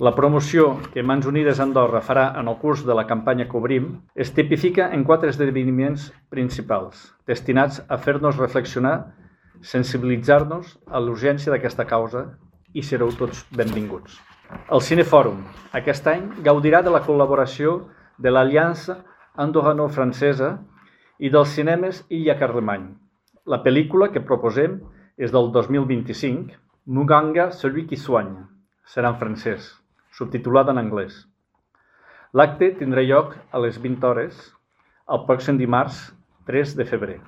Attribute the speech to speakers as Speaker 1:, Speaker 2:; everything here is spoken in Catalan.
Speaker 1: La promoció que Mans Unides Andorra farà en el curs de la campanya que obrim es tipifica en 4 esdeveniments principals, destinats a fer-nos reflexionar, sensibilitzar-nos a l'urgència d'aquesta causa i sereu tots benvinguts. El Cinefòrum aquest any gaudirà de la col·laboració de l'Aliança Andorrano-Francesa i dels cinemes Illa Carlemany. La pel·lícula que proposem és del 2025, Muganga, celui qui soigne. Serà en francès, subtitulada en anglès. L'acte tindrà lloc a les 20 hores el pròxim dimarts 3 de febrer.